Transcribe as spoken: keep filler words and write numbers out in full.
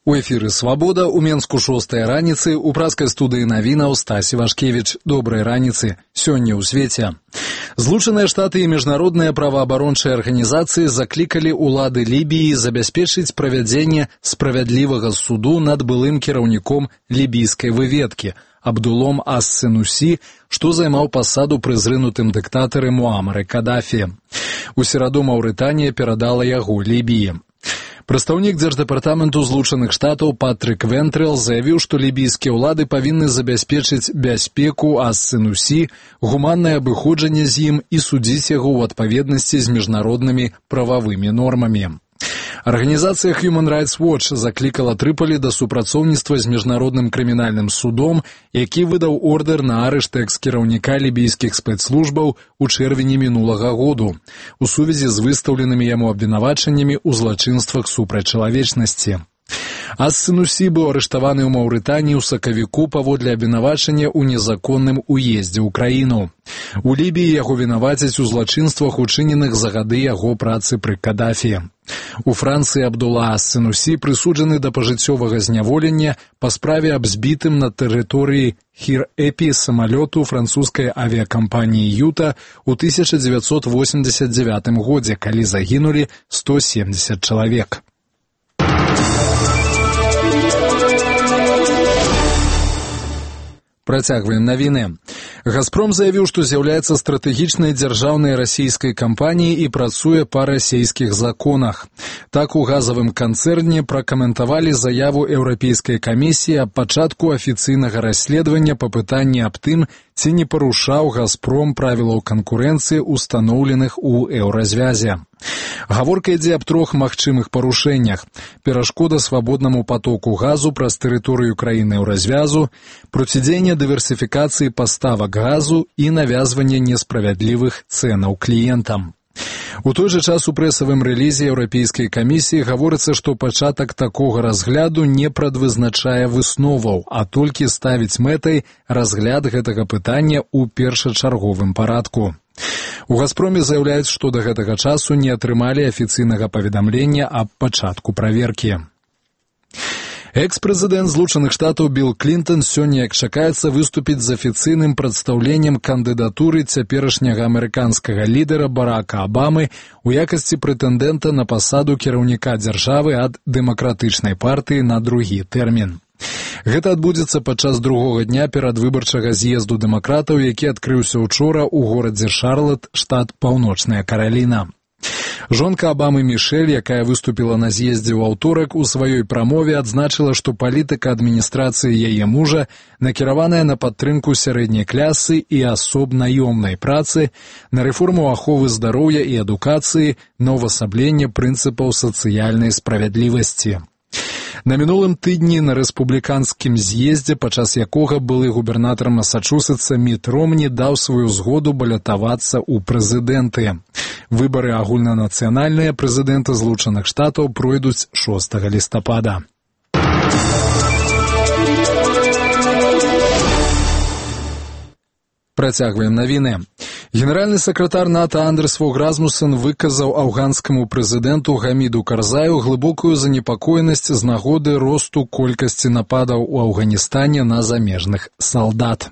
У эфіры «Свабода» у Менску шостая раніцы, у праскай студыі навінаў Стась Івашкевіч. Добрай раніцы. Сёння ў свеце. Злучаныя Штаты і міжнародныя праваабарончыя арганізацыі заклікалі ўлады Лібіі забяспечыць правядзенне справядлівага суду над былым кіраўніком лібійскай выведкі Абдулом ас-Сенусі, што займаў пасаду пры зрынутым дыктатары Муамары Кадафі. У сераду Маўрытанія перадала яго Лібіі. Прадстаўнік Дзярждэпартаменту Злучаных Штатаў Патрык Вентрэл заявіў, што лібійскія ўлады павінны забяспечыць бяспеку ас-Сенусі, гуманнае абыходжанне з ім і судзіць яго ў адпаведнасці з міжнароднымі прававымі нормамі. Арганізацыя Human Rights Watch заклікала Трыполі да супрацоўніцтва з міжнародным крымінальным судом, які выдаў ордэр на арышт экс-кіраўніка лібійскіх спецслужбаў у чэрвені мінулага году у сувязі з выстаўленымі яму абвінавачаннямі ў злачынствах супраць чалавечнасці. Ас-Сенусі быў арыштаваны ў Маўрытаніі ў сакавіку паводле абвінавачання ў незаконным уездзе ў краіну. У Лібіі яго вінавацяць у злачынствах, учыненых за гады яго працы пры Кадафі. У Францыі Абдула ас-Сенусі прысуджаны да пажыццёвага зняволення па справе аб збітым на тэрыторыі Хір-Эпі самалёту французскай авіякампаніі «Юта» ў тысяча дзевяцьсот восемьдесят девятым годзе, калі загінулі сто семьдесят чалавек. Працягваем навіны. «Газпром» заявіў, што з'яўляецца стратэгічнай дзяржаўнай расійскай кампаніяй і працуе па расійскіх законах. Так у газавым канцэрне пракаментавалі заяву Еўрапейскай камісіі аб пачатку афіцыйнага расследавання па пытанні аб тым, ці не парушаў «Газпром» правілаў канкурэнцыі, устаноўленых у еўразвязе. Гаворка ідзе аб трох магчымых парушэннях: перашкода свабоднаму патоку газу праз тэрыторыю краіны еўразвязу, процідзеянне дыверсіфікацыі паставак газу і навязванне несправядлівых цэнаў кліентам. У той жа час у прэсавым рэлізе Еўрапейскай камісіі гаворыцца, што пачатак такога разгляду не прадвызначае высноваў, а толькі ставіць мэтай разгляд гэтага пытання ў першачарговым парадку. У «Газпроме» заяўляюць, што да гэтага часу не атрымалі афіцыйнага паведамлення аб пачатку праверкі. Экс-прэзідэнт Злучаных Штатаў Білл Клінтон сёння, як чакаецца, выступіць з афіцыйным прадстаўленнем кандыдатуры цяперашняга амерыканскага лідара Барака Абамы у якасці прэтэндэнта на пасаду кіраўніка дзяржавы ад дэмакратычнай партыі на другі тэрмін. Гэта адбудзецца падчас другога дня перадвыбарчага з'езду дэмакратаў, які адкрыўся учора ў горадзе Шарлат, штат Паўночная Караліна. Жонка Абамы Мішэль, якая выступіла на з'ездзе ў аўторак, у сваёй прамове адзначыла, што палітыка адміністрацыі яе мужа накіраваная на падтрымку сярэдняй клясы і асоб наёмнай працы, на рэформу аховы здароўя і адукацыі, на ўвасабленне прынцыпаў сацыяльнай справядлівасці. На мінулым тыдні на рэспубліканскім з'ездзе, падчас якога былы губернатар Масачусетса Міт Ромні даў сваю згоду балятавацца ў прэзідэнты. Выбары агульнанацыянальныя прэзідэнта Злучаных Штатаў пройдуць шостага лістапада. Працягваем навіны. Генеральны сакратар НАТО Андерс Фог Расмуссен выказаў афганскаму прэзідэнту Гаміду Карзаю глыбокую занепакоенасць з нагоды росту колькасці нападаў у Афганістане на замежных салдат.